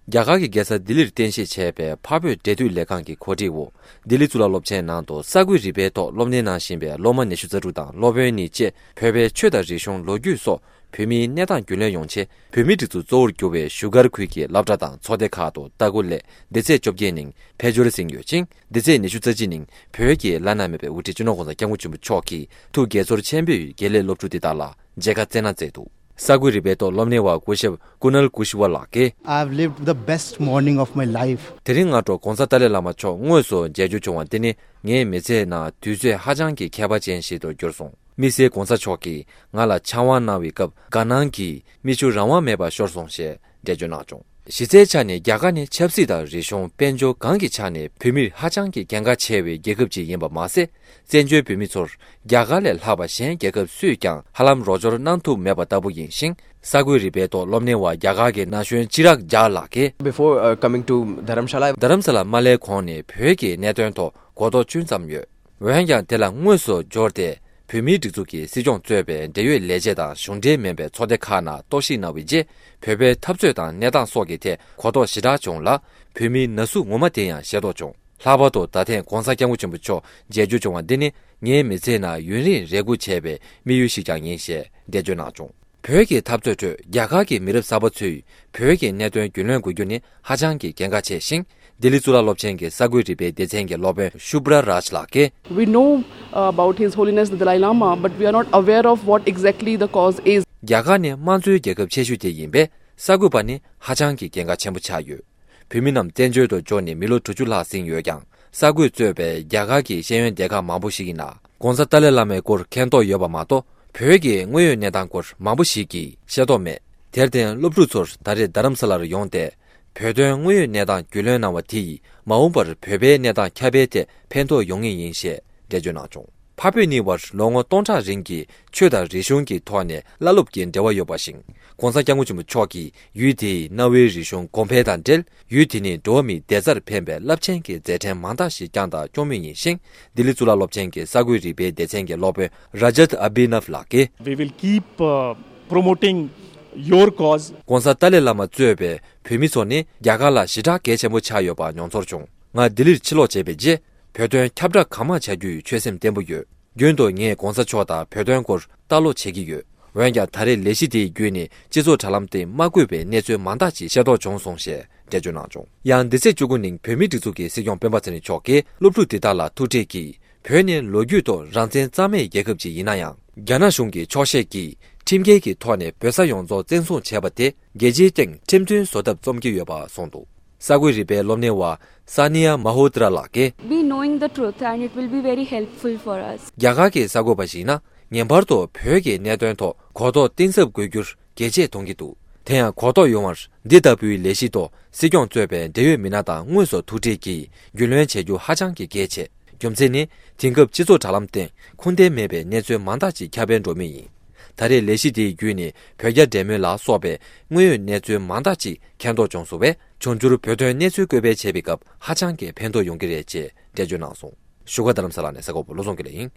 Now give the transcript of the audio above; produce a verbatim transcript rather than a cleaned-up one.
རྒྱ་གར་གྱི་རྒྱལ་ས་ལྡི་ལིར་རྟེན་གཞི་བྱས་པའི་འཕགས་བོད་འབྲེལ་མཐུད་ལས་ཁང་གི་གོ་སྒྲིག་འོག་ལྡི་ལི་གཙུག་ལག་སློབ་ཆེན་ནང་དུ་གསར་འགོད་རིག་པའི་ཐོག་སློབ་གཉེར་གནང་བཞིན་པའི་སློབ་མ་ཉི་ཤུ་རྩ་དྲུག་དང་སློབ་དཔོན་གཉིས་བཅས་བོད་པའི་ཆོས་དང་རིག་གཞུང་། ལོ་རྒྱུས་སོགས་བོད་མིའི་གནས་སྟངས་རྒྱུས་ལོན་ཡོང་ཆེད། བོད་མིའི་སྒྲིག་འཛུགས་གཙོ་བོར་གྱུར་བའི་བཞུགས་སྒར་ཁུལ་གྱི་སློབ་གྲྭ་དང་ཚོགས་སྡེ་ཁག་ཏུ་ལྟ་སྐོར་སླད་སྡེ་ཚན་བཅོ་བརྒྱད་ནང་ཕེབས་འབྱོར་ཟིན་ཡོད་ཅིང་། སྡེ་ཚན་ཉི་ཤུ་རྩ་གཅིག་ནང་བོད་ཀྱི་བླ་ན་མེད་པའི་དབུ་ཁྲིད་སྤྱི་ནོར་༸གོང་ས་༸སྐྱབས་མགོན་ཆེན་པོ་མཆོག་གིས་ཐུགས་དགྱེས་ཚོར་ཆེན་པོས་དགེ་ལས་སློབ་ཕྲུག་དེ་དག་ལ་མཇལ་ཁ་བསྩལ་གནང་མཛད་འདུག་གསར་འགོད་རིག་པའི་ཐོག་སློབ་གཉེར་བ་སྐུ་ཞབས་ཀུ་ནལ་ཀུ་ཤི་ཝ་ལགས་ཀྱིས། I have lived the best morning of my life. དེ་རིང་སྔ་དྲོ་༸གོང་ས་ཏཱ་ལའི་བླ་མ་མཆོག་དངོས་སུ་མཇལ་རྒྱུ་བྱུང་བ་འདི་ནི་ངའི་མི་ཚེའི་ནང་དུས་ཚོད་ཧ་ཅང་གི་ཁྱད་པར་ཅན་ཞིག་ཏུ་གྱུར་སོང་། དམིགས་བསལ་༸གོང་ས་མཆོག་གིས་ང་ལ་ཕྱག་དབང་གནང་བའི་སྐབས་དགའ་སྣང་གིས་མིག་ཆུ་རང་དབང་མེད་པར་ཤོར་སོང་ཞེས་འགྲེལ་བརྗོད་གནང་བྱུང་། གཞི་རྩའི་ཆ་ནས་རྒྱ་གར་ནི་ཆབ་སྲིད་དང་རིག་གཞུང་། དཔལ་འབྱོར་གང་གི་ཆ་ནས་བོད་མིར་ཧ་ཅང་གི་གལ་འགངས་ཆེ་བའི་རྒྱལ་ཁབ་ཅིག་ཡིན་པ་མ་ཟད། བཙན་བྱོལ་བོད་མི་ཚོར་རྒྱ་གར་ལས་ལྷག་པ་གཞན་རྒྱལ་ཁབ་སུས་ཀྱང་ཧ་ལམ་རོགས་སྐྱོར་གནང་ཐུབ་མེད་པ་ལྟ་བུ་ཡིན་ཞིང་། གསར་འགོད་རིག་པའི་ཐོག་སློབ་གཉེར་བ་རྒྱ་གར་གྱི་ན་གཞོན་ཅི་རག་ཇཱ་ལགས་ཀྱིས། Before uh, coming to Dharamshala, རྡ་རམ་ས་ལ་མ་སླེབས་གོང་ནས་བོད་ཀྱི་གནད་དོན་ཐོག་གོ་རྟོགས་ཅུང་ཙམ་ཡོད། འོན་ཀྱང་དེ་ལ་དངོས་སུ་འབྱོར་ཏེ་བོད་མིའི་སྒྲིག་འཛུགས་ཀྱི་སྲིད་སྐྱོང་གཙོས་པའི་འབྲེལ་ཡོད་ལས་བྱེད་དང་གཞུང་འབྲེལ་མིན་པའི་ཚོགས་སྡེ་ཁག་ནང་རྟོག་ཞིབ་གནང་བའི་རྗེས། བོད་པའི་འཐབ་རྩོད་དང་གནས་སྟངས་སོགས་ཀྱི་ཐད་གོ་རྟོགས་ཞེ་དྲག་བྱུང་ལ། བོད་མིའི་ན་ཟུག་ངོ་མ་དེ་ཡང་ཤེས་རྟོགས་བྱུང་། ལྷག་པར་དུ་ད་ཐེངས་༸གོང་ས་༸སྐྱབས་མགོན་ཆེན་པོ་མཆོག་མཇལ་རྒྱུ་བྱུང་བ་འདི་ནི་ངའི་མི་ཚེའི་ནང་ཡུན་རིང་རེ་སྒུག་བྱས་པའི་དམིགས་ཡུལ་ཞིག་ཀྱང་ཡིན་ཞེས་འགྲེལ་བརྗོད་གནང་བྱུང་། བོད་ཀྱི་འཐབ་རྩོད་ཁྲོད་རྒྱ་གར་གྱི་མི་རབས་གསར་པ་ཚོས་བོད་ཀྱི་གནད་དོན་རྒྱུས་ལོན་དགོས་རྒྱུ་ནི་ཧ་ཅང་གི་གལ་འགངས་ཆེ་ཞིང་། ལྡི་ལི་གཙུག་ལག་སློབ་ཆེན་གྱི་གསར་འགོད་རིག་པའི་སྡེ་ཚན་གྱི་སློབ་དཔོན་ཤུབ་ར་རཱཇ་ལགས་ཀྱིས། We know uh, about His Holiness the Dalai Lama, but we are not aware of what exactly the cause is. རྒྱ་གར་ནི་དམངས་གཙོའི་རྒྱལ་ཁབ་ཆེ་ཤོས་དེ་ཡིན་པས། གསར་འགོད་པ་ནི་ཧ་ཅང་གི་གལ་འགངས་ཆེན་པོ་ཆགས་ཡོད། བོད་མི་རྣམས་བཙན་བྱོལ་དུ་འབྱོར་ནས་མི་ལོ་དྲུག་ཅུ་ལྷག་ཟིན་ཡོད་ཀྱང་། གསར་འགོད་གཙོས་པའི་རྒྱ་གར་གྱི་ཤེས་ཡོན་སྡེ་ཁག་མང་པོ་ཞིག་གི་ནང་༸གོང་ས་ཏཱ་ལའི་བླ་མའི་སྐོར་མཁྱེན་རྟོགས་ཡོད་པ་མ་གཏོགས། བོད་ཀྱི་དངོས་ཡོད་གནས་སྟངས་སྐོར་མང་པོ་ཞིག་གིས་ཤེས་རྟོགས་མེད། དེར་བརྟེན། སློབ་ཕྲུག་ཚོར་ད་རེས་རྡ་རམ་ས་ལར་ཡོང་སྟེ། བོད་དོན་དངོས་ཡོད་གནས་སྟངས་རྒྱུས་ལོན་གནང་བ་དེ་ཡིས་མ་འོངས་པར་བོད་པའི་གནས་སྟངས་ཁྱབ་སྤེལ་ཐད་ཕན་ཐོགས་ཡོང་ངེས་ཡིན་ཞེས་འགྲེལ་བརྗོད་གནང་བྱུང་། འཕགས་བོད་གཉིས་བར་ལོ་ངོ་སྟོང་ཕྲག་རིང་གི་ཆོས་དང་རིག་གཞུང་གི་ཐོག་ནས་བླ་སློབ་ཀྱི་འབྲེལ་བ་ཡོད་པ་ཞིག ༸གོང་ས་༸སྐྱབས་མགོན་ཆེན་པོ་མཆོག་གིས་ཡུལ་དེའི་གནའ་བོའི་རིག་གཞུང་གོང་འཕེལ་དང་འབྲེལ། ཡུལ་དེ་ནི་འགྲོ་བ་མིའི་བདེ་རྩར་ཕན་པའི་རླབས་ཆེན་གྱི་མཛད་འཕྲིན་མང་དག་ཞིག་བསྐྱངས་དང་སྐྱོང་མུས་ཡིན་ཞིང་། ལྡི་ལི་གཙུག་ལག་སློབ་ཆེན་གྱི་གསར་འགོད་རིག་པའི་སྡེ་ཚན་གྱི་སློབ་དཔོན་ར་ཇཱཏ་ཨ་བྷི་ནབ་ལགས་ཀྱིས། We will keep uh, promoting your cause. ༸གོང་ས་ཏཱ་ལའི་བླ་མ་གཙོས་པའི་བོད་མི་ཚོ་ནི་རྒྱ་གར་ལ་ཞེ་དྲག་གལ་ཆེན་པོ་ཆགས་ཡོད་པ་མྱོང་ཚོར་བྱུང་། ང་ལྡི་ལིར་ཕྱིར་ལོག་བྱས་པའི་རྗེས། བོད་དོན་ཁྱབ་བསྒྲགས་གང་མང་བྱ་རྒྱུའི་ཆོད་སེམས་བརྟན་པོ་ཡོད། རྒྱུན་དུ་ངས་༸གོང་ས་མཆོག་དང་བོད་དོན་སྐོར་ལྟ་ཀློག་བྱེད་ཀྱི་ཡོད། འོན་ཀྱང་། ད་རེས་ལས་གཞི་དེའི་བརྒྱུད་ནས་སྤྱི་ཚོགས་དྲ་ལམ་སྟེང་མ་བཀོད་པའི་གནས་ཚུལ་མང་དག་ཅིག་ཤེས་རྟོགས་བྱུང་སོང་ཞེས་འགྲེལ་བརྗོད་གནང་བྱུང་། ཡང་། འདི་ཚེས་བཅུ་དགུ་ཉིན་བོད་མིའི་སྒྲིག་འཛུགས་ཀྱི་སྲིད་སྐྱོང་སྤེན་པ་ཚེ་རིང་མཆོག་གིས་སློབ་ཕྲུག་དེ་དག་ལ་ཐུག་འཕྲད་ཀྱིས། བོད་ནི་ལོ་རྒྱུས་ཐོག་རང་བཙན་གཙང་མའི་རྒྱལ་ཁབ་ཅིག་ཡིན་ན་ཡང་། རྒྱ་ནག་གཞུང་གི་འཁྱོག་བཤད་ཀྱིས་ཁྲིམས་འགལ་གྱི་ཐོག་ནས་བོད་ས་ཡོངས་རྫོགས་བཙན་བཟུང་བྱས་པ་དེ། རྒྱལ་སྤྱིའི་སྟེང་ཁྲིམས་མཐུན་བཟོ་ཐབས་རྩོམ་གྱི་ཡོད་པ་གསུངས་འདུག་གསར་འགོད་རིག་པའི་སློབ་གཉེར་བ་ས་ནི་ཡ་མ་ཧོ་ཏྲ་ལགས་ཀྱིས། Be knowing the truth and it will be very helpful for us. རྒྱ་གར་གྱི་གསར་འགོད་པ་ཞིག་ཡིན་ན། ངེས་པར་དུ་བོད་ཀྱི་གནད་དོན་ཐོག་གོ་རྟོགས་གཏིང་ཟབ་དགོས་རྒྱུར་གལ་ཆེ་མཐོང་གི་འདུག་དེ་ཡང་གོ་རྟོགས་ཡོང་བར་འདི་ལྟ་བུའི་ལས་གཞི་ཐོག་སྲིད་སྐྱོང་གཙོས་པའི་འབྲེལ་ཡོད་མི་སྣ་དང་དངོས་སུ་ཐུག་འཕྲད་ཀྱིས་རྒྱུས་ལོན་བྱེད་རྒྱུ་ཧ་ཅང་གི་གལ་ཆེ། རྒྱུ་མཚན་ནི། དེང་སྐབས་སྤྱི་ཚོགས་དྲ་ལམ་སྟེང་ཁུངས་ལྡན་མེད་པའི་གནས་ཚུལ་མང་དག་ཅིག་ཁྱབ་སྤེལ་འགྲོ་མུས་ཡིན། ད་རེས་ལས་གཞི་དེའི་བརྒྱུད་ནས་བོད་རྒྱ་འབྲེལ་མོལ་ལ་སོགས་པའི་དངོས་ཡོད་གནས་ཚུལ་མང་དག་ཅིག་མཁྱེན་རྟོགས་བྱུང་སོང་བས། འབྱུང་འགྱུར་བོད་དོན་གནས་ཚུལ་བཀོད་སྤེལ་བྱེད་པའི་སྐབས་ཧ་ཅང་གི་ཕན་ཐོགས་ཡོང་གི་རེད་ཅེས་འགྲེལ་བརྗོད་གནང་སོང་། བཞུགས་སྒར་རྡ་རམ་ས་ལ་ནས་གསར་འགོད་པ་བློ་བཟང་དགེ་ལེགས་ཡིན།